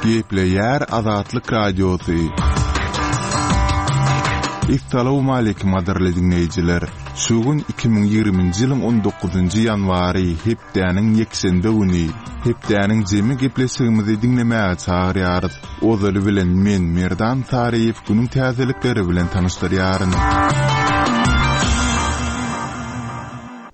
Gepleýär Azatlyk Radiosy. Essalawmaleýkim gadyrly diňleýjiler! Şu gün 2020-nji ýylyň on dokuzynjy ýanwary, hepdäniň ýekşenbe güni. Hepdäniň jemi gepleşigimizi diňlemäge çagyrýarys. Ozaly bilen men, Merdan Saryýew günüň täzelikleri bilen tanyşdyrýaryn.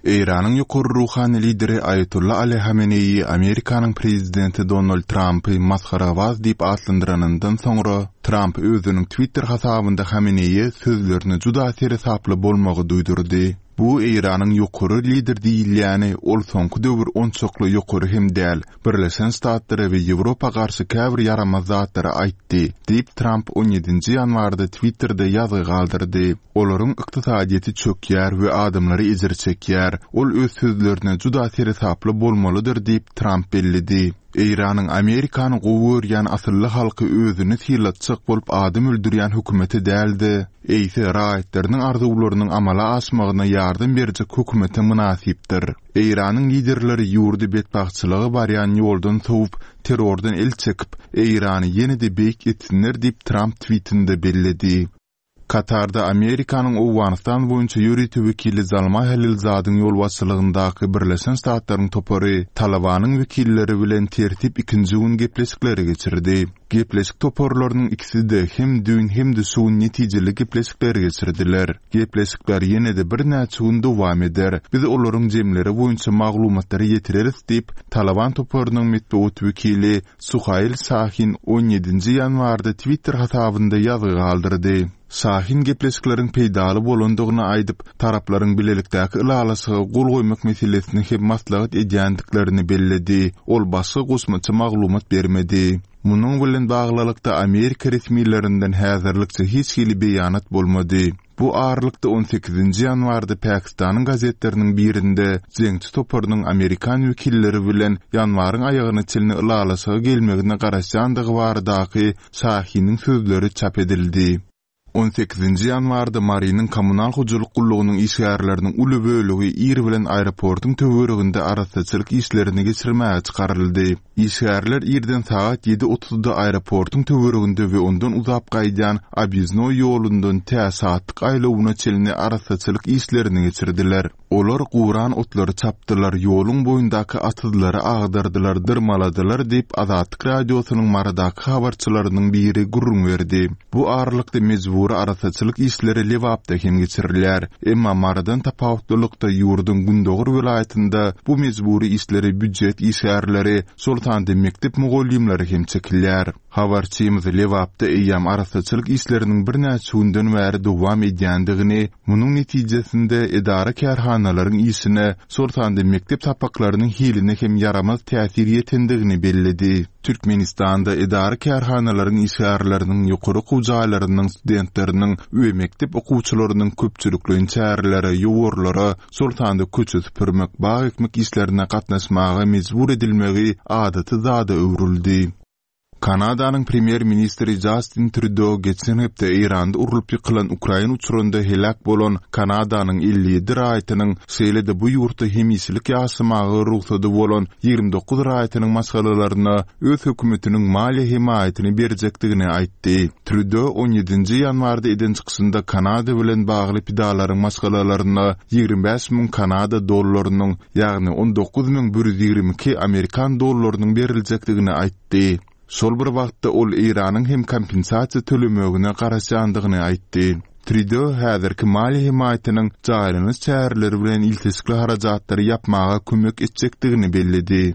Eýranyň ýokary ruhany lideri Aýatolla Ali Hameneýi Amerikanyň prezidenti Donald Trampy masgarabaz diýip atlandyranyndan soňra, Tramp özüniň Twitter hasabynda Hameneýä sözlerine juda seresaply bolmagy duýdurdy. Bu Eýranyň ýokary lider diýilýäni ol soňky döwür onçakly ýokary hem däl, Birleşen Ştatlara we Ýewropa garşy käbir ýaramaz zatlary aýtdy, diýip Tramp on ýedinji ýanwarda Twitterde ýazgy galdyrdy. Olaryň ykdysadyýeti çökýär we adamlary ejir çekýär. Ol öz sözlerine juda seresaply bolmalydyr diýip, Tramp belledi. Eýranyň Amerikany gowy görýän asylly halky özüni sylatjak bolup adam öldürýän hökümete däl-de, eýse raýatlarynyň arzuwlarynyň amala aşmagyna ýardam berjek hökümete mynasypdyr. Eýranyň liderleri ýurdy betbagtçylyga barýan ýoldan sowup, terrordan el çekip, Eýrany ýene-de beýik etsinler diýip, Tramp twitinde belledi. Katarda Amerikanyň Owganystan boýunça ýörite wekili Zalmaý Halilzadyň ýolbaşçylygyndaky Birleşen Ştatlaryň topary Talybanyň wekilleri bilen tertip ikinji gün gepleşikleri geçirdi. Gepleşik toparlarynyň ikisi-de hem düýn hem-de şu gün netijeli gepleşikleri geçirdiler. Gepleşikler ýene-de birnäçe gün dowam eder. Biz olaryň jemleri boýunça maglumatlary ýetireris diýip, Talyban toparynyň metbugat wekili Suhail Şahin on ýedinji ýanwarda Twitter hasabynda ýazgy galdyrdy. Şahin gepleşikleriň peýdaly bolandygyny aýdyp, taraplaryň bilelikdäki ylalaşyga gol goýmak meselesini hem maslahat edýändiklerini belledi. Ol başga goşmaça maglumat bermedi. Munuň bilen baglylykda Amerika resmilerinden häzirlikçe hiç hili beýanat bolmady. Bu aralykda on sekizinji ýanwarda Pakistanyň gazetleriniň birinde jeňçi toparynyň amerikan wekilleri bilen ýanwaryň aýagyna çenli ylalaşyga gelmegine garaşýandygy baradaky Şahiniň sözleri çap edildi. On sekizinji ýanwarda Marynyň kommunal hojalyk gullugynyň işgärleriniň uly bölegi ir bilen aeroportuň töwereginde arassaçylyk işlerini geçirmäge çykaryldy. Işgärler irden sagat ýedi otuzda aeroportuň töwereginde we ondan uzap gaýdýan Obýezdnoý ýolundan tä Şatlyk aýlawyna çenli arassaçylyk işlerini geçirdiler. Olar guran otlary çapdylar, ýoluň boýundaky atyzlary agdardylar, dyrmaladylar diýip, Azatlyk Radiosynyň Marydaky habarçylarynyň biri gürrüň berdi. Bu aralykda mejbury arassaçylyk işleri Lebapda hem geçirilýär. Emma Marydan tapawutlylykda ýurduň gündogar welaýatynda bu mejbury işlere býujet işgärleri, şol sanda mekdep mugallymlary hem çekilýär. Habarçymyz Lebapda eýýäm arassaçylyk işleriniň birnäçe günden bäri dowam edýändigini, munuň netijesinde edara-kärhanalaryň işine, şol sanda mekdep sapaklarynyň hiline hem ýaramaz täsir ýetendigini belledi. Türkmenistanda edara-kärhanalaryň işgärleriniň, ýokary okuw jaýlarynyň studentleriniň we mekdep okuwçylarynyň köpçülikleýin çärelere, ýowarlara, şol sanda köçe süpürmek, bag ekmek işlerine gatnaşmaga mejbur edilmegi adaty zada öwrüldi. Kanadanyň premýer-ministri Jastin Trýudo geçen hepde Eýranda urlup ýykylan ukrain uçarynda heläk bolan Kanadanyň 57 raýatynyň, şeýle-de bu ýurtda hemişelik ýaşamaga rugsady bolan 29 raýatynyň maşgalalaryna öz hökümetiniň maliýe hemaýatyny berjekdigini aýtdy. Trýudo on ýedinji ýanwarda eden çykyşynda Kanada bilen bagly pidalaryň maşgalalaryna 25 000 kanada dollarynyň, ýagny 19 122 amerikan dollarynyň beriljekdigini aýtdy. Şol bir wagtda ol Eýranyň hem kompensasiýa tölemegine garaşýandygyny aýtdy. Trýudo häzirki maliýe hemaýatynyň jaýlanyş çäreleri bilen ilteşikli harajatlary ýapmaga kömek etjekdigini belledi.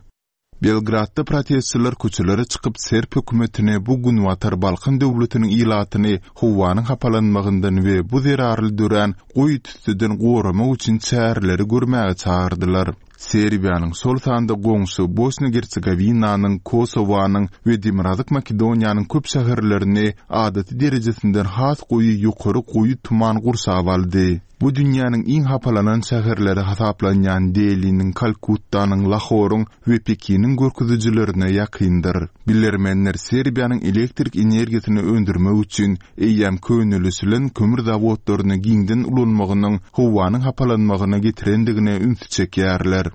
Belgradda protestçiler köçelere çykyp serb hökümetini bu Günbatar Balkan döwletiniň ilatyny howanyň hapalanmagyndan we bu zerarly dörän goýy tüsseden goramak üçin çäreleri görmäge çagyrdylar. Serbiýanyň, şol sanda goňşy Bosniýa-Gersegowinanyň, Kosowanyň we Demirgazyk Makedoniýanyň köp şäherlerini adaty derejesinden has goýy ýokary goýy tuman gurşap aldy. Bu dünýäniň iň hapalanan şäherleri hasaplanýan Deliniň, Kalkuttanyň, Lahoryň we Pekiniň görkezijilerine ýakyndyr. Bilermenler Serbiýanyň elektrik energiýasyny öndürmek üçin eýýäm könelişilen kömür zawodlaryny giňden ulanmagynyň howanyň hapalanmagyna getirendigine ünsi çekýärler.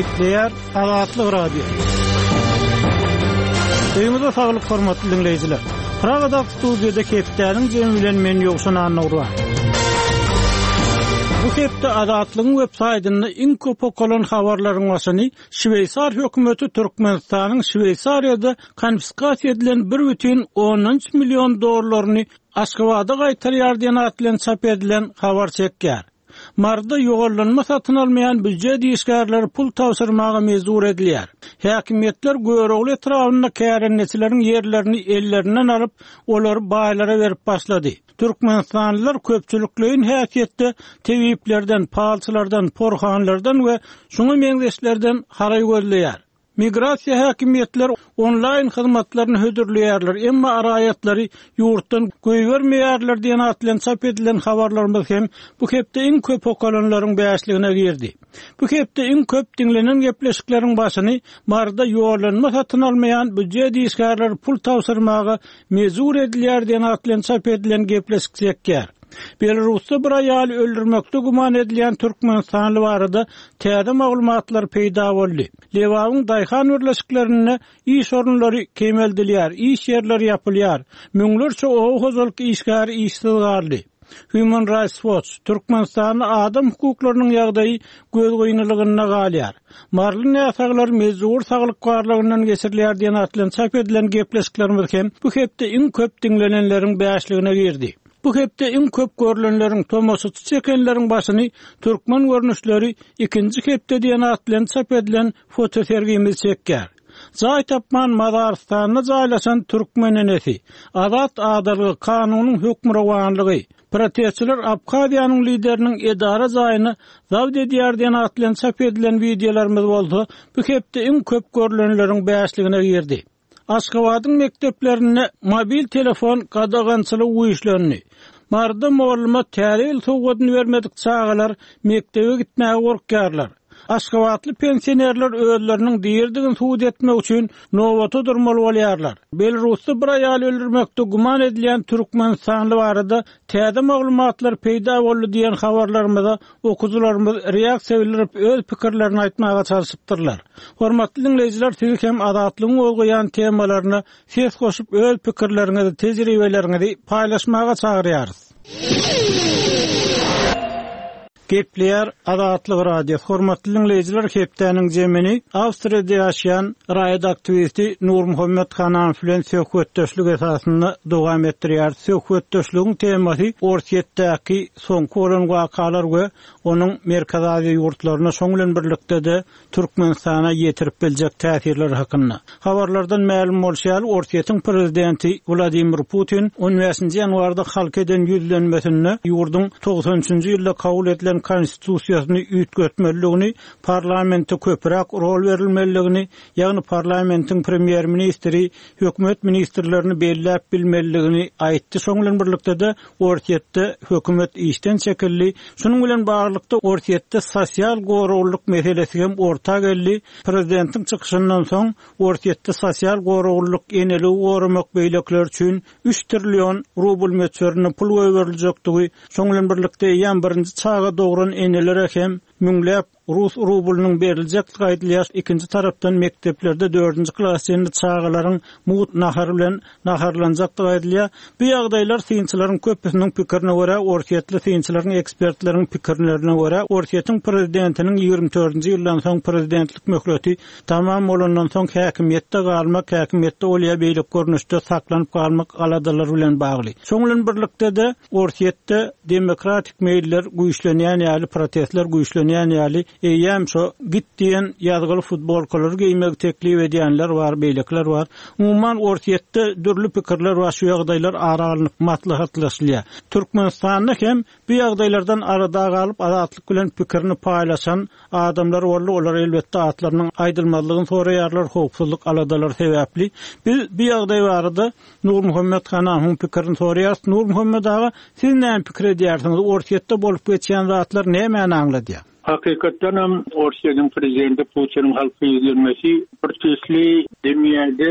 Gepleýär Azatlyk Radiosy. Öýüňize saglyk hormatly diňleýjiler. Pragadaky studiýada hepdäniň jemi bilen men Ýowşan Annagurban. Bu hepde Azatlygyň web saýtynda iň köp okalan habarlaryň başyny Şweýsar hökümeti Türkmenistanyň Şweýsariýada konfiskasiýa edilen bir bütin ondan üç million dollaryny Aşgabada gaýtarýar diýen at bilen çap edilen habar çekýär. Maryda ýollanma satyn almaýan býujet işgärleri pul tabşyrmaga mejbur edilýär. Häkimiýetler Görogly etrabynda kärendeçileriň ýerlerini ellerinden alyp, olary baýlara berip başlady. Türkmenistanlylar köpçülikleýin häsiýetde tebiplerden, palçylardan, porhanlardan we şuňa meňzeşlerden haraý gözleýär. Migrasiýa häkimiýetleri onlaýn hyzmatlaryny hödürleýärler, emma raýatlary ýurtdan goýbermeýärler diýen at bilen çap edilen habarlarymyz hem bu hepde iň köp okalanlaryň bäşligine girdi. Bu hepde iň köp diňlenen gepleşikleriň başyny Maryda ýollanma satyn almaýan býujet işgärleri pul tabşyrmaga mejbur edilýär diýen at bilen çap edilen gepleşik çekýär. Belarusda bir aýaly öldürmekde güman edilýän türkmenistanly barada täze maglumatlar peýda boldy. Lebabyň daýhan birleşiklerinde iş orunlary kemeldilýär, iş ýerleri ýapylýar. Müňlerçe oba hojalyk işgäri işsiz galdy. Human Rights Watch, Türkmenistanda adam hukuklarynyň ýagdaýy gözgynylygynda galýar. Maryly näsaglar mejbury saglyk barlagyndan geçirilýär diýen at bilen çap edilen gepleşiklerimiz hem bu hepde iň köp diňlenenleriň bäşligine girdi. Bu hepde iň köp görlenleriň, tomaşaçy çekenleriň başyny Türkmen görnüşleri ikinji hepde diýen at bilen çap edilen fotosergimiz çekýär. Jaý tapman mazarystanda jaýlaşan türkmen enesi, Azat adalga, kanunyň hökmürowanlygy, Protestçiler Abhaziýanyň lideriniň edara jaýyny zabt edýär diýen at bilen çap edilen wideolarymyz bolsa bu hepde iň köp görlenleriň bäşligine girdi. Aşgabadyň mekdeplerinde mobil telefon gadagançylygy güýçlendi. Maryda molluma Täze ýyl sowgadyny bermedik çagalar mekdebe gitmäge gorkýarlar. Aşgabatly pensionerler özleriniň diridigini subut etmek üçin nobata durmaly bolýarlar. Belarusda bir aýaly öldürmekde güman edilýän türkmenistanly barada täze maglumatlar peýda boldy diýen habarlarymyza okyjylarymyz reaksiýa bildirip öz pikirlerini aýtmaga çalşypdyrlar. Hormatly diňleýjiler siz hem Azatlygyň gozgaýan temalaryna ses goşup öz pikirleriňizi, tejribeleriňizi paýlaşmaga çagyrýarys. Gepleýär Azatlyk Radiosy Hormatly diňleýjiler hepdäniň jemini Awstriýada ýaşaýan raýat aktiwisti Nurmuhammet Hananow bilen söhbetdeşlik esasynda dowam etdirýäris. Söhbetdeşligiň temasy Orsýetdäki soňky bolan wakalar we onuň Merkezi Aziýa ýurtlaryna şoň bilen birlikde-de Türkmenistana ýetirip biljek täsirleri hakynda. Habarlardan mälim bolşy ýaly, Orsýetiň prezidenti Wladimir Putin on bäşinji ýanwarda halka eden ýüzlenmesinde ýurduň 93-nji ýylda kabul edilen Konstitusiýasyny üýtgetmelidigini, parlamente köpräk rol berilmelidigini, ýagny parlamentiň premýer-ministri hökümet ministrlerini belläp bilmelidigini aýtdy. Şonuň bilen birlikde-de, Orsýetde hökümet işden çekildi. Şunuň bilen baglylykda, Orsýetde sosial goraglylyk meselesi hem orta geldi. Prezidentiň çykyşyndan soň, Orsýetde sosial goraglylyk, eneligi goramak beýlekiler üçin üç trillion rubl möçberinde pul goýberiljekdigi, şonuň bilen birlikde eýýäm birinji çaga dogran enelere hem müňläp Rus rublynyň beriljekdigi aýdylýar, ikinji tarapdan mekdeplerde dördünji klasa çenli çagalaryň mugt nahar bilen naharlanjakdygy aýdylýar. Bu ýagdaýlar synçylaryň köpüsiniň pikirine görä, orsýetli synçylaryň, ekspertleriň pikirlerine görä, Orsýetiň prezidentiniň 24-nji ýyldan soň prezidentlik möhleti tamam bolandan soň häkimiýetde galmak, häkimiýetde ol ýa beýleki görnüşde saklanyp galmak aladalary bilen bagly. Şonuň bilen birlikde-de, Orsýetde demokratik meýiller güýçlenýän ýaly, protestler güýçlenýän ýaly, eýýäm şo git diýen ýazgyly futbolkalary geýmegi teklip edýänler bar, beýlekiler bar. Umuman, Orsýetde dürli pikirler bar, şu ýagdaýlar ara alnyp maslahatlaşylýar. Türkmenistanda hem bu ýagdaýlardan arada galyp, Azatlyk bilen pikirini paýlaşan adamlar boldy, olar elbetde atlarynyň aýdylmazlygyny soraýarlar, howpsuzlyk aladalary sebäpli. Biz bu ýagdaý barada Nurmuhammet Hanahyň pikirini soraýarys. Nurmuhammet aga, siz näme pikir edýärsiňiz, Orsýetde bolup geçýän zatlar nämäni aňladýar? Hakykatdanam Orsýetiň prezidenti Putiniň halka ýüzlenmesi bir tüýsli dünýäde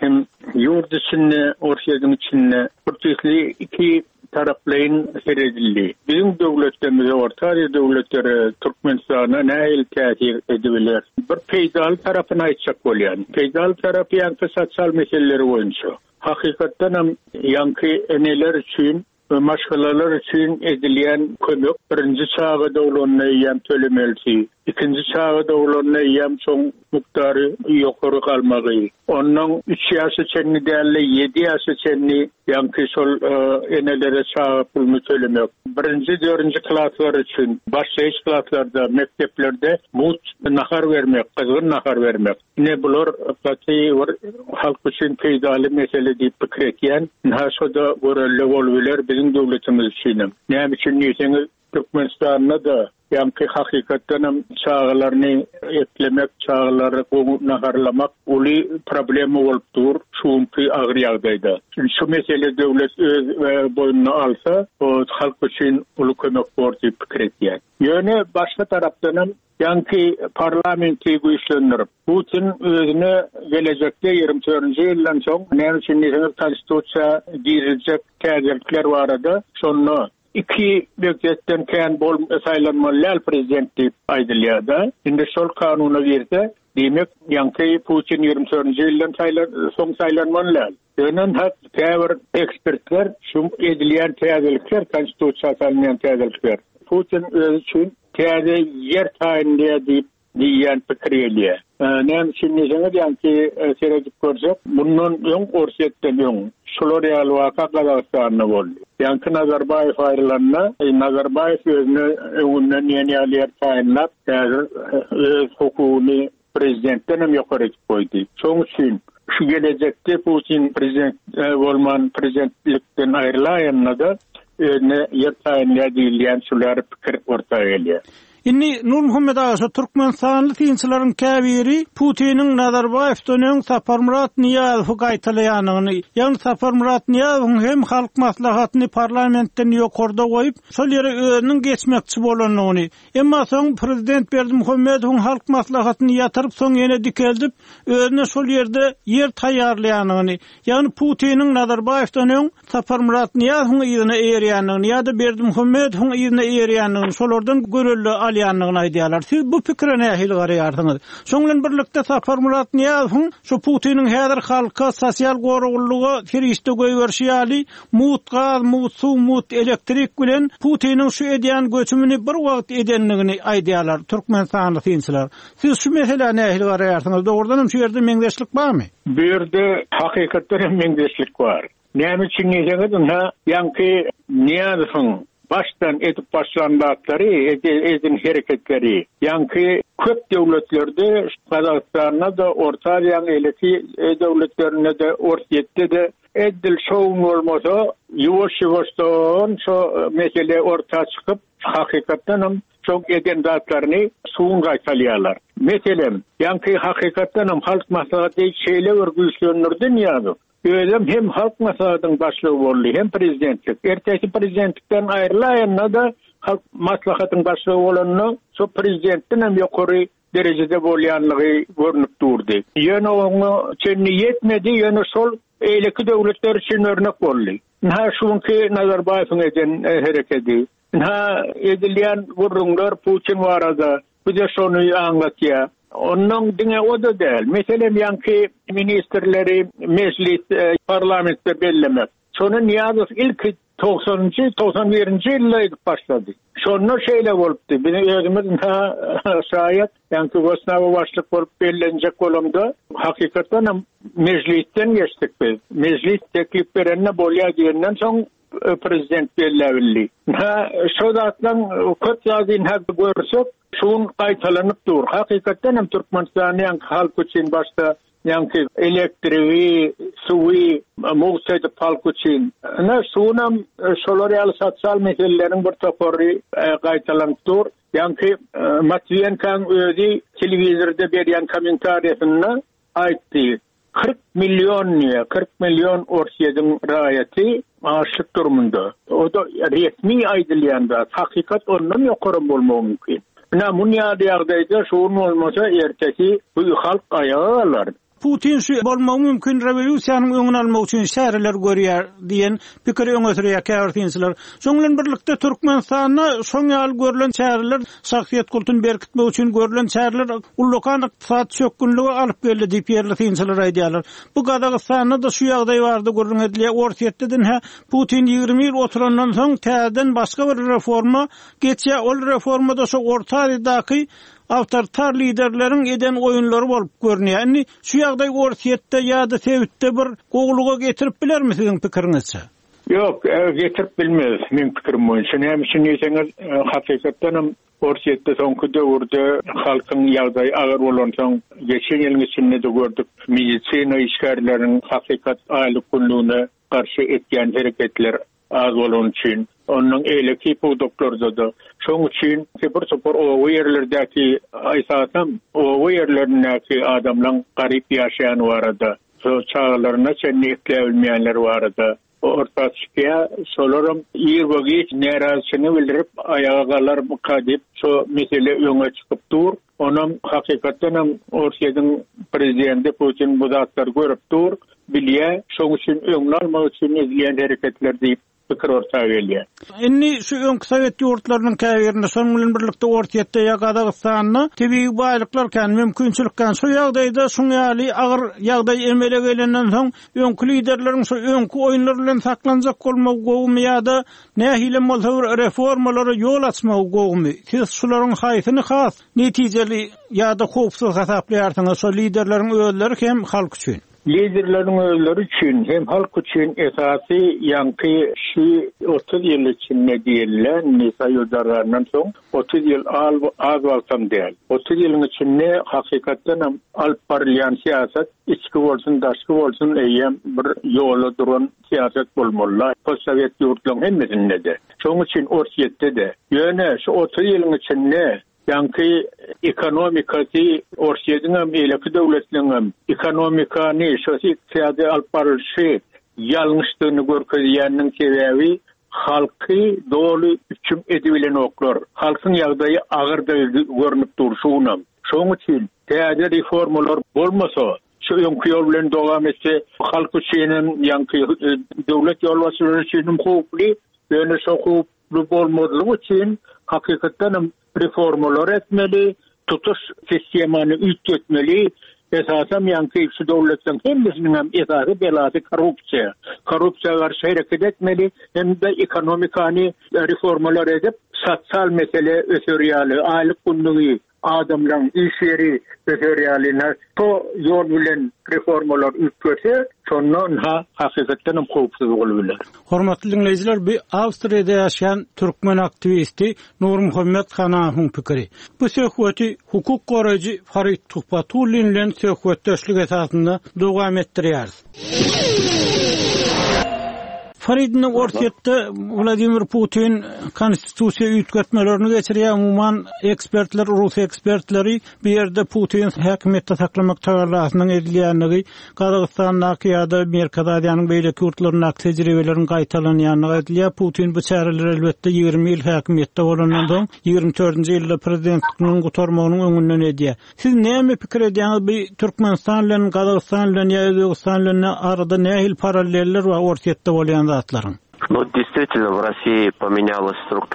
hem ýurt içinde, Orsýetiň içinde bir tüýsli iki. taraplaýyn seredildi. Biziň döwletlerimize, Orta Aziýa döwletleri, Türkmenistana nähili täsir edibiler? Bir peýdaly tarapyny aýtjak bolýan. Peýdaly tarapy ýaňky sosial meseleleri boýunça. Hakykatdanam ýaňky eneler üçin we maşgalalar üçin edilýän kömek birinji çaga doglanda eýýäm tölemelisi, ikinji çaga doglanda eýýäm şoň mukdary ýokary galmagy, onnoň üç ýaşa çenli däl-de ýedi ýaşa çenli ýaňky şol enelere çaga puluny tölemek, birinji, dördünji klaslar üçin başlaýyş klaslarda, mekdeplerde mugt nahar bermek, gyzgyn nahar bermek. Ine bular gaty bir halk üçin peýdaly mesele diýip pikir etýän. Ynha şo-da görelde bolubiler biziň döwletimiz üçinem. Näme üçin diýseňiz, Türkmenistanda-da ýaňky hakykatdanam çagalaryny eklemek, çagalary gowy naharlamak uly problema bolup dur şu günki agyr ýagdaýda. Şu mesele döwlet öz boýnuna alsa, o halk üçin uly kömek bor diýip pikir etýän. Ýöne başga tarapdanam Ýaňky parlamenti güýçlendirip, Putin özüne gelejekde 24-nji ýyldan soň, näme üçin diýseňiz, konstitusiýa giriziljek täzelikler barada şonda iki möhletden kän bol saýlanmaly däl prezident diýip aýdylýar-da. Indi şol kanuna girse, diýmek, ýaňky Putin 24-nji ýyldan soň saýlanmaly däl. Ýöne hat käbir ekspertler şu edilýän täzelikler, konstitusiýa salynýan täzelikler Putin özi üçin täze ýer taýynlaýar diýip diýýän pikir gelýär. Näme üçin diýseňiz, ýaňky seredip görsek, mundan öň Orsýetden öň şular ýaly waka Gazagystanda boldy. Ýaňky Nazarbaýew aýrylanda, Nazarbaýew özüne öňünden diýen ýaly ýer taýynlap, häzir öz hukugyny prezidentden hem ýokary edip goýdy. Şoň üçin şu gelejekde Putin prezident bolman prezidentlikden aýrylaýanda-da özüne ýer taýynlaýar diýilýän şular pikir orta gelýär. Indi Nurmuhammet aga şu türkmenistanly synçylaryň käbiri Putiniň Nazarbaýewden öň Saparmyrat Nyýazowy gaýtalaýanyny, ýagny Saparmyrat Nyýazowyň hem Halk Maslahatyny parlamentden ýokarda goýup, şol ýere özüniň geçmekçi bolanyny, Emma soň prezident Berdimuhamedowyň Halk Maslahatyny ýatyryp, soň ýene dikeldip, özüne şol ýerde ýer taýýarlaýanyny, ýagny Putiniň Nazarbaýewden öň Saparmyrat Nyýazowyň yzyna eýerýändigini ýa-da Berdimuhamedowyň yzyna eýerýändigini, şolardan görelde alýandygyny aýdýarlar. Siz bu pikire nähili garaýarsyňyz? Şoň bilen birlikde Saparmyrat Nyýazowyň şu Putiniň häzir halka sosial goraglylyga serişde goýberişi ýaly Mugt gaz, mugt suw, mugt elektrik bilen Putiniň şu edýän göçümini bir wagt edendigini aýdýarlar türkmenistanly synçylar. Siz şu meselä nähili garaýarsyňyz? Dogrudan hem şu ýerde meňzeşlik barmy? Bu ýerde hakykatdan hem meňzeşlik bar. Näme üçin diýseňiz, ynha, ýaňky Nyýazowyň başdan edip başlan zatlary, eden hereketleri, ýaňky köp döwletlerde, Gazagystanda-da, Orta Aziýanyň eýleki döwletlerinde-de, Orsýetde-de Edil şo gün bolmasa, ýuwaş-ýuwaşdan şo mesele orta çykyp, hakykatdanam şoň eden zatlaryny şu gün gaýtalýarlar. Meselem, ýaňky hakykatdanam Halk Maslahaty şeýle bir güýçlendirdi Nyýazow. Özem hem Halk Maslahatynyň başlygy boldy, hem prezidentlik. Ertesi prezidentlikden aýrylaýanda-da Halk Maslahatyň başlygy bolanda, şo prezidentdenem ýokary derejede bolýanlygy görnüp durdy. Ýöne oňa çenli ýetmedi, ýöne şol beýleki döwletler üçin örnek boldy. Ynha şu günki Nazarbaýewiň eden herekedi. Ynha edilýän gürrüňler Putin barada, bu-da şony aňlatýar. Onnoň diňe o-da däl. Meselem, ýaňky ministrleri mejlis, parlamentde bellemek. Şony Nyýazow ilki togsanynjy, 91-nji ýylda edip başlady. Şonda şeýle bolupdy. Biz özümiz ynha şaýat, ýaňky Gosnaba başlyk bolup bellenjek bolamda, hakykatdan hem mejlisden geçdik biz. Mejlis teklip berende bolýar diýenden soň prezident belläbildi. Ynha şo zatlaň köp zady ynha görsek, şu gün gaýtalanyp dur. Hakykatdan hem Türkmenistanda ýaňky halk üçin başda Ýaňky elektrigi, suwy mugt edip halk üçin. Ine, şunam şolar ýaly sosial meseleleriň bir topary gaýtalanyp dur. Ýaňky Matwiýenkaň özi telewizorda berýän kommentariýasynda aýtdy, 40 million diýýär, 40 million Orsýetiň raýaty açlyk durumynda. O-da resmi aýdylýan zat, hakykat ondan ýokaram bolmagy mümkin. Ine, muny ýaly ýagdaýda şu gün bolmasa ertesi bu halk aýaga galar. Putin şu bolmagy mümkin rewolýusiýanyň öňüni almak üçin çäreler görýär diýen pikiri öňe sürýär käbir synçylar. Şonuň bilen birlikde Türkmenistanda şoň ýaly görlen çäreler şahsyýet kultuny berkitmek üçin görlen çäreler ullakan ykdysady çökgünlige alyp geldi diýip ýerli synçylar aýdýarlar. Bu Gazagystanda-da şu ýagdaý barada gürrüň edilýär. Orsýetde-de ine Putin 20 ýyl oturandan soň täzeden başga bir reforma geçýär. Ol reforma-da şo Orta Aziýadaky awtoritar liderleriň eden oýunlary bolup görünýär. Indi şu ýagdaý Orsýetde ýa-da sebitde bir gowulyga getirip bilermi siziň pikiriňizçe? Ýok, getirip bilmez, meň pikirim boýunça. Näme üçin diýseňiz, hakykatdanam Orsýetde soňky döwürde halkyň ýagdaýy agyr bolansoň, geçen ýylyň içinde-de gördük, medisina işgärleriniň hakykat aýlyk-günlügine garşy etýän hereketler az bolany üçin, ondan eýleki pudaklarda-da. Şoň üçin bir topar oba ýerlerdäki, esasan oba ýerlerindäki adamlaň garyp ýaşaýany barada, şo çagalaryna çenli ekläbilmeýänleri barada orta çykýar. Şolaram ir we giç närazyçylygyny bildirip aýaga galarmyka diýip, şo mesele öňe çykyp dur. Onam hakykatdanam Orsýetiň prezidenti Putin bu zatlary görüp dur, bilýär, şoň üçin öňüni almak üçin edilýän hereketler diýip pikir orta gelýär. Indi şu öňki sowet ýurtlarynyň käbirinde, şonuň bilen birlikde Orsýetde ýa Gazagystanda tebigy baýlyklar kän, mümkinçilik kän. Şu ýagdaýda şuň ýaly agyr ýagdaý emele gelenden soň öňki liderleriň şu öňki oýunlar bilen saklanjak bolmagy gowumy ýa-da Nähilem bolsa bir reformalara ýol açmagy gowumy? Siz şularyň haýsyny has netijeli ýa-da howpsuz hasaplaýarsyňyz, şo liderleriň özleri hem halk üçin? Liderleriň özleri üçin hem halk üçin esasy ýaňky şu 30 ýyl içinde diýilýä, indi Soýuz dargandan soň 30 ýyl az wagtam däl. 30 ýylyň içinde hakykatdanam alyp barylýan syýasat içki bolsun, daşky bolsun eýýäm bir ýola duran syýasat bolmaly-la, postsowet ýurtlaryň hemmesinde-de. Şonuň üçin Orsýetde-de. Ýöne şu 30 ýylyň içinde ýaňky ekonomikasy Orsýetiňem, beýleki döwletleriňem ekonomikany, şo ykdysady alyp barylyşy ýalňyşdygyny görkezýäniniň sebäbi halky doly üpjün edibilenoklar. Halkyň ýagdaýy agyrdygy görnüp dur şu günem. Şonuň üçin täze reformalar bolmasa, Şu öňki ýol bilen dowam etse, halk üçinem, ýaňky döwlet ýolbaşçylary üçinem howply. Ýöne şo howply bolmazlygy üçin hakykatdanam reformalar etmeli, tutuş sistemany üýtgetmeli. Esasam ýaňky şu döwletleriň hemmesiniňem esasy belasy korrupsiýa. Korrupsiýa garşy hereket etmeli hem-de ekonomikany reformalar edip, sosial mesele öser ýaly, aýlyk-günlügi adamlaryň iş ýeri öser ýaly ynha şo ýol bilen reformalar üýtgese, şonda ynha hakykatdan hem howpsuz bolup biler. Hormatly diňleýjiler, bu Awstriýada ýaşaýan türkmen aktiwisti Nurmuhammet Hanahowyň pikiri. Bu söhbeti hukuk goraýjy Farid Tuhbatullin bilen söhbetdeşlik esasynda dowam etdirýäris. Farid indi Orsýetde Wladimir Putin konstitusiýa üýtgetmelerini geçirýär. Umuman ekspertler, rus ekspertleri bu ýerde Putin häkimiýetde saklamak tagallasynyň edilýändigi, Gazagystandaky ýa-da Merkezi Aziýanyň beýleki ýurtlaryndaky tejribeleriň gaýtalanýandygy aýdylýar. Putin bu çäreleri elbetde 20 ýyl häkimiýetde bolandan soň, 24-nji ýylda prezidentliginiň gutarmagynyň öňünden edýär. Siz näme pikir edýäňiz bu Türkmenistan bilen Gazagystan bilen ýa Özbegistan bilen arada nähili paralleller bar Orsýetde bolýan zatlaryň?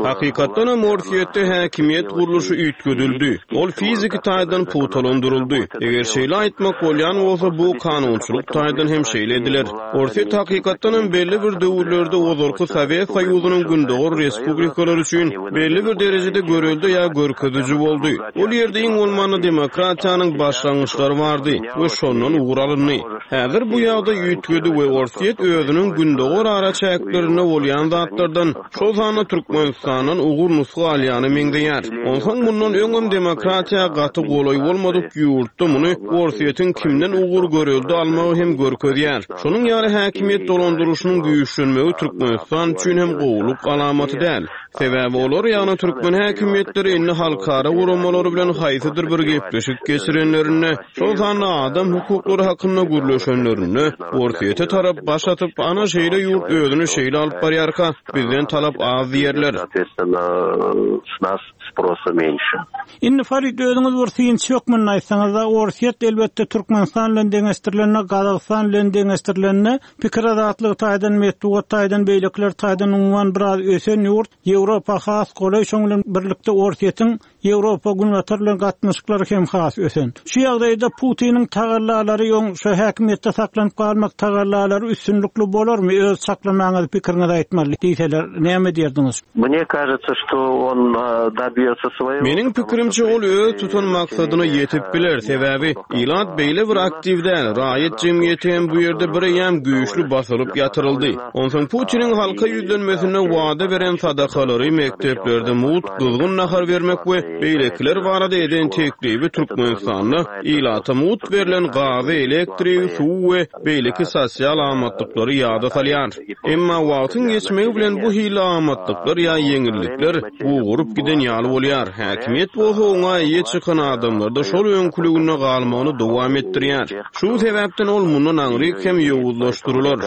Hakykatdanam Orsýetde häkimiýet gurluşy üýtgedildi. Ol fiziki taýdan pugtalandyryldy. Eger şeýle aýtmak bolýan bolsa, bu kanunçylyk taýdan hem şeýle ediler. Orsýet hakykatdanam belli bir döwürlerde ozalky Sowet Soýuzynyň gündogar respublikalary üçin belli bir derejede görelde ýa görkeziji boldy. Ol ýerde iň bolmanda demokratiýanyň başlangyçlary bardy we şondan ugur alyndy. Häzir bu ýagdaý üýtgedi we Orsýet özüniň gündogar araçäklerinde bolýan zatlardan, şol sanda Türkmenistandan ugur-nusga alýana meňzeýär. Onsoň mundan öňem demokratiýa gaty golaý bolmadyk ýurtda muny Orsýetiň kimden ugur-görelde almagy hem görkezýär. Şonuň ýaly häkimiýet dolandyryşynyň güýçlenmegi Türkmenistan üçin hem gowulyk alamaty däl. Sebäbi olar, ýagny türkmen häkimiýetleri indi halkara guramalary bilen haýsydyr bir gepleşik geçirenlerinde, şol sanda adam hukuklary hakynda gürleşenlerinde, Orsýete tarap baş atyp, ana şeýle ýurt özüni şeýle alyp barýarka, bizden talap az diýerler. Indi Farid özüňiz bir synçy hökmünde aýtsaňyzda, Orsýet elbetde Türkmenistan bilen deňeşdirilende, Gazagystan bilen deňeşdirilende pikir azatlygy taýdan, metbugat taýdan, beýlekiler taýdan umuman biraz ösen ýurt, Ýewropa has golaý, şoň bilen birlikde Orsýetiň Ýewropa, Günbatar bilen gatnaşyklary hem has ösen. Şu ýagdaýda Putiniň tagallalary öň şu häkimiýetde saklanyp galmak tagallalary üstünlikli bolarmy, öz çaklamaňyzy, pikiriňizi aýtmaly diýseler, näme diýerdiňiz? Mne kažetsya, çto on dobýetsya svoýego. Meniň pikirimçe, ol öz tutan maksadyna ýetip biler, sebäbi ilat beýle bir aktiw däl, raýat jemgyýeti hem bu ýerde bireýýäm güýçli basylyp ýatyryldy. Onsoň Putiniň halka ýüzlenmesinde wada beren sadakalary, mekdeplerde mugt gyzgyn nahar bermek we beýlekiler barada eden teklibi Türkmenistanda ilata mugt berlen gazy, elektrigi, suwy we beýleki sosial amatlyklary ýada salýar. Emma wagtyň geçmegi bilen bu hili amatlyklar ýa ýeňillikler gugaryp giden ýaly bolýar, häkimiýet bolsa oňa eýe çykan adamlarda şol öňküliginde galmagyny dowam etdirýär. Şu sebäpden ol mundan aňryk hem ýowuzlaşdyrylar.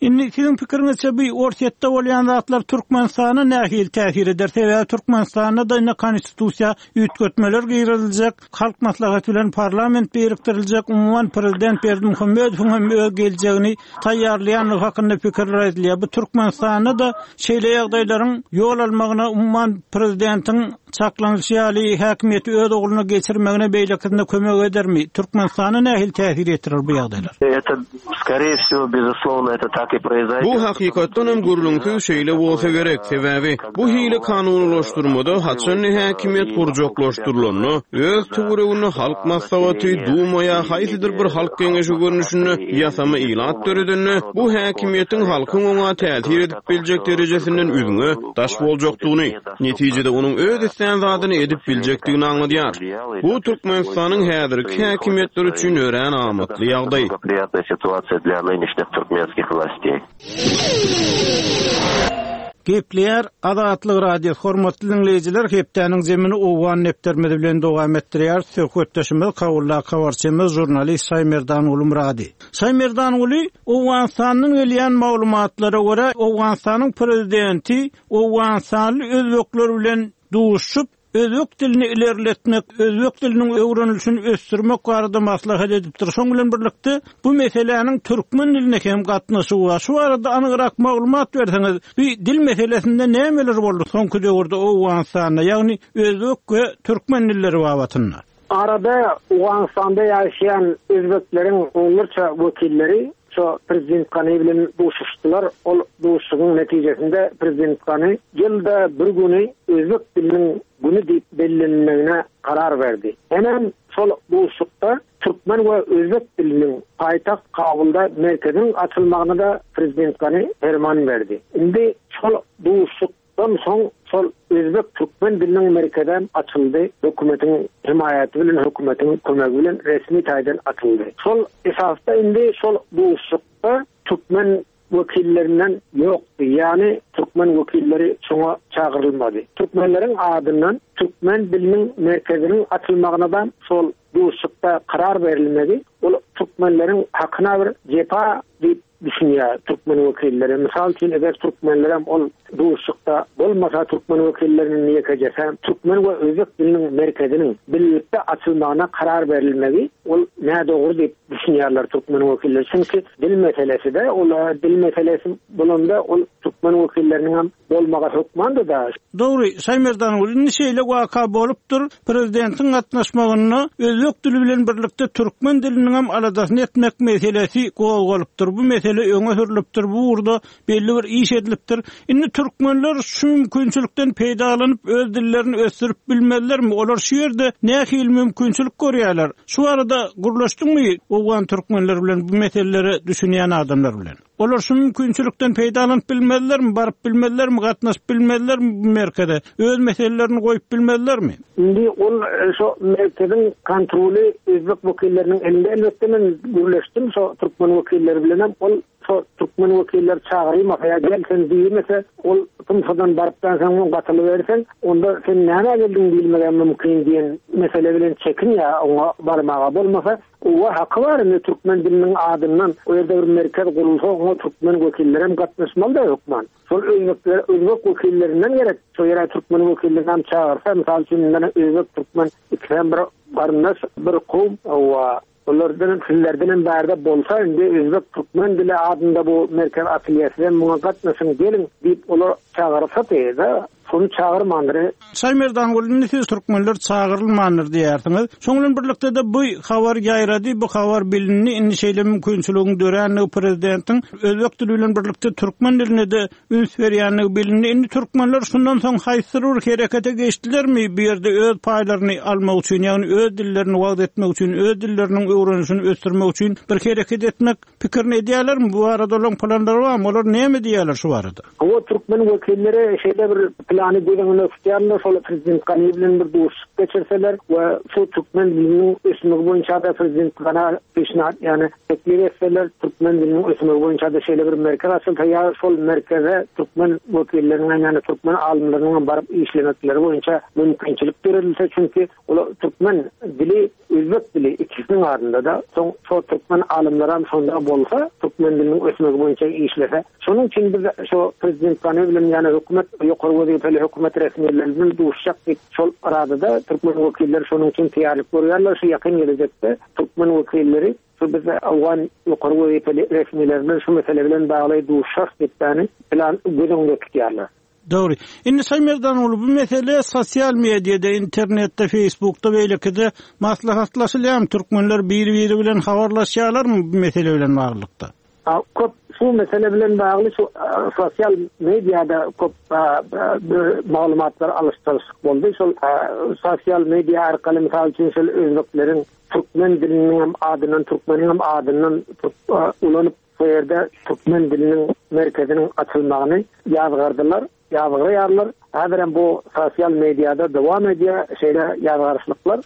Indi siziň pikiriňizçe bu Orsýetde bolýan zatlar Türkmenistana nähili täsir eder? Sebäbi Türkmenistanda-da indi konstitusiýa üýtgetmeler giriziljek. Halk Maslahaty bilen parlament birikdiriljek, umuman prezident Berdimuhamedowyň hem öz geljegini taýýarlaýandygy hakynda pikirler aýdylýar. Bu Türkmenistanda-da şeýle ýagdaýlaryň ýol almagyna, umuman prezidentiň çaklanylyşy ýaly häkimiýeti öz ogluna geçirmegine beýlekisine kömek edermi? Türkmenistana nähili täsir ýetirer bu ýagdaýlar? Bu hakykatdan hem gürrüňsiz şeýle bolsa gerek, sebäbi bu hili kanunylaşdyrmada haçan häkimiýet gurjaklaşdyrylanda, öz töwereginde Halk Maslahaty, Duma ýa haýsydyr bir halk geňeşi görnüşinde ýasama ilat döredende, bu häkimiýetiň halkyň oňa täsir edip biljek derejesinden üzňe, daş boljakdygyny, netijede onuň öz islän zadyny edip biljekdigini aňladýar. Bu Türkmenistanyň häzirki häkimiýetleri üçin örän amatly ýagdaý. Gepleýär Azatlyk Radiosy Hormatly diňleýjiler hepdäniň zemini Owgan depderimiz bilen dowam etdirýäris. Söhbetdeşimiz Kabuldaky habarçymyz žurnalist Şaýmerdanguly Myrady. Şaýmerdanguly, Owganystandan gelýän maglumatlara görä, Owganystanyň prezidenti owganystanly özbekler bilen duşuşyp, özbek dilini ilerletmek, özbek diliniň öwrenilişini ösdürmek barada maslahat edipdir. Şonuň bilen birlikde, bu meseläniň türkmen diline hem gatnaşygy bar. Şu barada anygrak maglumat berseňiz, bu dil meselesinde nämeler boldy soňky döwürde Owganystanda, ýagny özbek we türkmen dilleri babatynda? Arada Owganystanda ýaşaýan özbekleriň onlarça wekilleri şo prezident Gani bilen duşuşdylar. Ol duşuşygyň netijesinde prezident Gani ýylda bir güni özbek diliniň güni diýip bellenilmegine karar berdi. Hemem şol duşuşykda türkmen we özbek diliniň paýtagt Kabulda merkeziniň açylmagyna-da prezident Gani perman berdi. Indi şol duşuşyk Dan soň şol özbek-türkmen diliniň merkezem açyldy, hökümetiň hemaýaty bilen, hökümetiň kömegi bilen resmi taýdan açyldy. Şol esasda indi şol duşuşykda türkmen wekillerinden ýokdy, ýagny türkmen wekilleri şoňa çagyrylmady. Türkmenleriň adyndan türkmen diliniň merkeziniň açylmagyna-da şol duşuşykda karar berilmegi, ol türkmenleriň hakyna bir jepa diýip düşünýär türkmen wekilleri. Mysal üçin, eger türkmenlerem ol duşuşykda bolmasa, türkmen wekilleriniň ýekejesem türkmen we özbek diliniň merkeziniň birlikde açylmagyna karar berilmegi ol nädogry diýip düşünýärler türkmen wekilleri. Çünki dil meselesi-de, ol dil meselesi bolanda ol türkmen wekilleriniňem bolmagy hökmandy-da. Dogry, Şaýmerdan indi şeýle waka bolupdyr, prezidentiň gatnaşmagynda özbek dili bilen birlikde türkmen diliniňem aladasyny etmek meselesi gozgalypdyr, bu mesele öňe sürlüpdir, bu ugurda belli bir iş edilipdir. Indi türkmenler şu mümkinçilikden peýdalanyp öz dillerini ösdürip bilmezlermi? Olar şu ýerde nähili mümkinçilik görýärler? Şu barada gürleşdiňmi owgan türkmenleri bilen bu meselelere düşünýän adamlar bilen? Olar şu mümkinçilikden peýdalanyp bilmezlermi, baryp bilmezlermi, gatnaşyp bilmezlermi bu merkeze, öz meselelerini goýup bilmezlermi? Indi ol şo merkeziň kontroly özbek wekilleriniň elinde. Elbetde men gürleşdim şo türkmen wekilleri bilenem. Ol. şo türkmen wekilleri çagyrylmasa ýa gel sen diýilmese, ol tmsa-dan barypdan soň gatylyberseň, onda sen nämä geldiň diýilmegem mümkin diýen mesele bilen çekinýär oňa barmaga. Bolmasa, owa haky bar indi türkmen diliniň adyndan o ýerde bir merkez gurulsa oňa türkmen wekillerem gatnaşmaly-da hökman. Şol özbekler, özbek wekillerinden gerek, şo ýere türkmen wekillerini hem çagyrsa, mysal üçin, indi özbek, türkmen ikisem bir garyndaş, bir kowum, hawa, olardan, sizlerden hem bärde bolsa, indi özbek, türkmen dili adynda bu merkez açylýar, sizem muňa gatnaşyň, geliň diýip, olar çagyrsady-da, şony çagyrmandyr. Şaýmerdanguly, indi siz türkmenler çagyrylmandyr diýýärsiňiz. Şoň bilen birlikde-de bu habar ýaýrady, bu habar bilindi, indi şeýle mümkinçiligiň dörändigi prezidentiň özbek dili bilen birlikde türkmen diline-de üns berýändigi bilindi. Indi türkmenler şundan soň haýsydyr bir herekete geçdilermi bu ýerde öz paýlaryny almak üçin, ýagny öz dillerini wagyz etmek üçin, öz dilleriniň öwrenişini ösdürmek üçin bir hereket etmek pikirini edýärlermi? Bu barada olaryň planlary barmy? Olar näme diýýärler şu barada? Hawa, türkmen wekilleri şeýle bir plany göz öňünde tutýarlar, şol prezident Gani bilen bir duşuşyk geçirseler we şu türkmen diliniň ösmegi boýunça-da prezident Gana peşnahat, ýagny teklip etseler, türkmen diliniň ösmegi boýunça-da şeýle bir merkez açylsa ýa şol merkeze türkmen wekilleriniň hem, ýagny türkmen alymlarynyň hem baryp işlemekleri boýunça mümkinçilik döredilse, çünki olar türkmen dili Özbek dili ikisiniň adynda-da, soň şo türkmen alymlaram şonda bolsa, türkmen diliniň ösmegi boýunça işlese. Şonuň üçin biz şo prezident Gani bilen ýa hökümet, ýokary wezipeli hökümet resmileri bilen duşuşjak diýip, şol aradada türkmen wekilleri şonuň üçin taýýarlyk görýärler. Şu ýakyn gelejekde türkmen wekilleri şu biz owgan ýokary wezipeli resmileri bilen şu mesele bilen bagly duşuşarys diýip, ýagny plan göz öňünde tutýarlar. Dogry. Indi Şaýmerdan ogly bu mesele sosial mediada, internetde, feýsbukda beýlekide maslahatlaşylýarmy? Türkmenler bir-biri bilen habarlaşýarlarmy bu mesele bilen baglylykda? Köp şu mesele bilen bagly şu sosial mediada köp maglumatlar alyş-çalşyk boldy. Şol sosial media arkaly mysal üçin şol özbekleriň türkmen diliniň hem adyndan, türkmeniň hem adyndan ulanyp Bu ýerde türkmen diliniň merkeziniň açylmagyny ýazgardylar, ýazgaraýarlar. Häzirem bu sosial mediada dowam edýär şeýle ýazgaryşlyklar.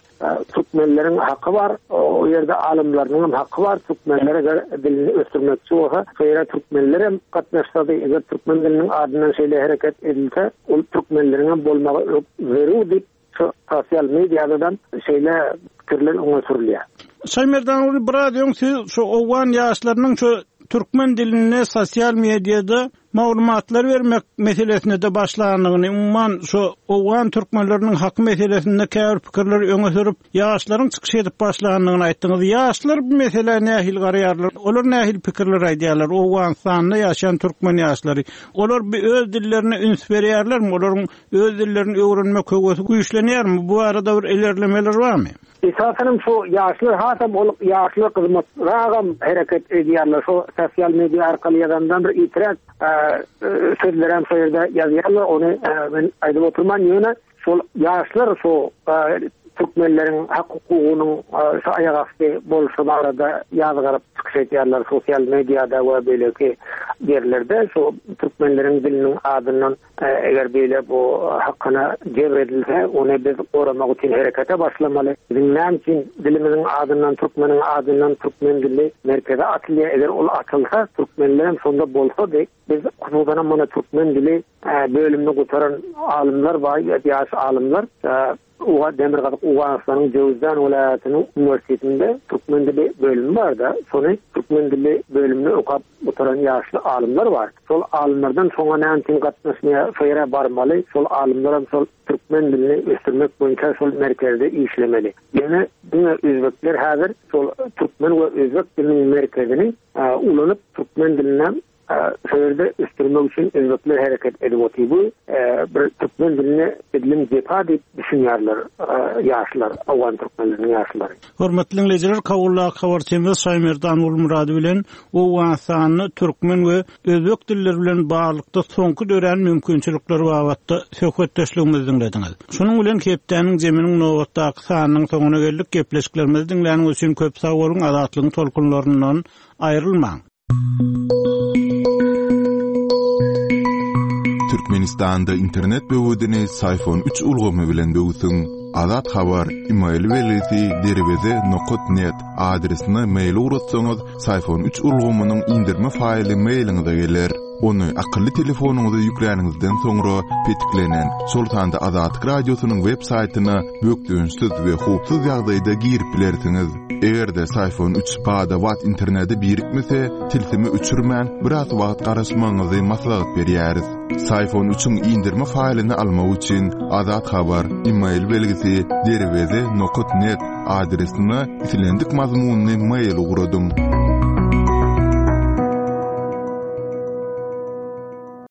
Türkmenleriň haky bar, o ýerde alymlarynyň hem haky bar. Türkmenler eger dilini ösdürmekçi bolsa, şo ýere türkmenler hem gatnaşsady, eger türkmen diliniň adyndan şeýle hereket edilse, ol türkmenleriň hem bolmagy zerur diýip, Şu sosial mediadadan şeýle pikirler öňe sürülýär. Şaýmerdan uly biraz öň siz şu owgan ýaşlarynyň şu türkmen dilinde sosial mediada maglumatlar bermek meselesine-de başlandygyny, umuman şu owgan türkmenleriniň haky meselesinde käbir pikirleri öňe sürüp, ýaşlaryň çykyş edip başlandygyny aýtdyňyz. Ýaşlar bu meselä nähili garaýarlar? Olar nähili pikirler aýdýarlar? Owganystanda ýaşaýan türkmen ýaşlary. Olar bu öz dillerine üns berýärlermi? Olaryň Öz dillerini öwrenmek höwesi güýçlenýärmi? Bu barada bir ilerlemeler barmy? Esasanam şu ýaşlar hasam ol ýaşlar gyzmatragam hereket edýärler şu sosial media arkaly ýazandan bir itiraz sözlerem şo ýerde ýazýarlar ony men aýdyp oturman ýöne şol ýaşlar şu türkmenleriň hak hukugynyň şu aýak asty bolşy barada ýazgaryp çykyş edýärler sosial mediada we beýleki ýerlerde şu türkmenleriň diliniň adyndan Eger beýle bu hakyna jebr edilse, ony biz goramak üçin herekete başlamaly. Biziň näme üçin dilimiziň adyndan, türkmeniň adyndan türkmen dili merkeze atylýar? Eger ol atylsa, türkmenlerem şonda bolsady, biz hususanam mana türkmen dili bölümini gutaran alymlar bar, ýaş alymlar. Uga Demirgazyk Owganystanyň Jöwüzjan welaýatynyň uniwersitetinde türkmen dili bölümi bar-da, şony türkmen dili bölümini okap gutaran ýaşly alymlar bar. Şol alymlardan şoňa näme üçin gatnaşmaýar, şo ýere barmaly, şol alymlaram şol türkmen dilini ösdürmek boýunça şol merkezde işlemeli. Ýöne diňe özbekler häzir şol türkmen we özbek diliniň merkezini ulanyp türkmen diline Şo ýerde ösdürmek üçin özbekler hereket edip otyr. Bu bir türkmen diline edilen jepa diýip düşünýärler ýaşlar, owgan türkmenleriniň ýaşlary. Hormatly diňleýjiler, Kabuldaky habarçymyz Şaýmerdan Gulmyrady bilen Owganystanda türkmen we özbek dilleri bilen baglylykda soňky dörän mümkinçilikler babatda söhbetdeşligimizi diňlediňiz. Şunuň bilen hepdäniň zeminiň nobatdaky sanynyň soňuna geldik. Gepleşiklerimizi diňläniňiz üçin köp sag boluň, Azatlygyň tolkunlaryndan aýrylmaň! Türkmenistanda internet böwedini Syfon üç ulgamy bilen böwsüň. Azat Habar, email belgisi derweze nokat net adresine mail ugratsaňyz, Syfon üç ulgamynyň indirme faýly mailiňize geler. Ony akylly telefonyňyza ýükläniňizden soňra petiklenen, şol sanda Azatlyk Radiosynyň web saýtyna bökdençsiz we howpsuz ýagdaýda girip bilersiňiz. Eger-de Syfon üç bada-bat internete birikmese, tilsimi öçürmän, biraz wagt garaşmagyňyzy maslahat berýäris. Syfon üçiň indirme faýlyny almak üçin Azat Habar, email belgisi, derweze nokat net adresine islendik mazmunly mail ugradyň.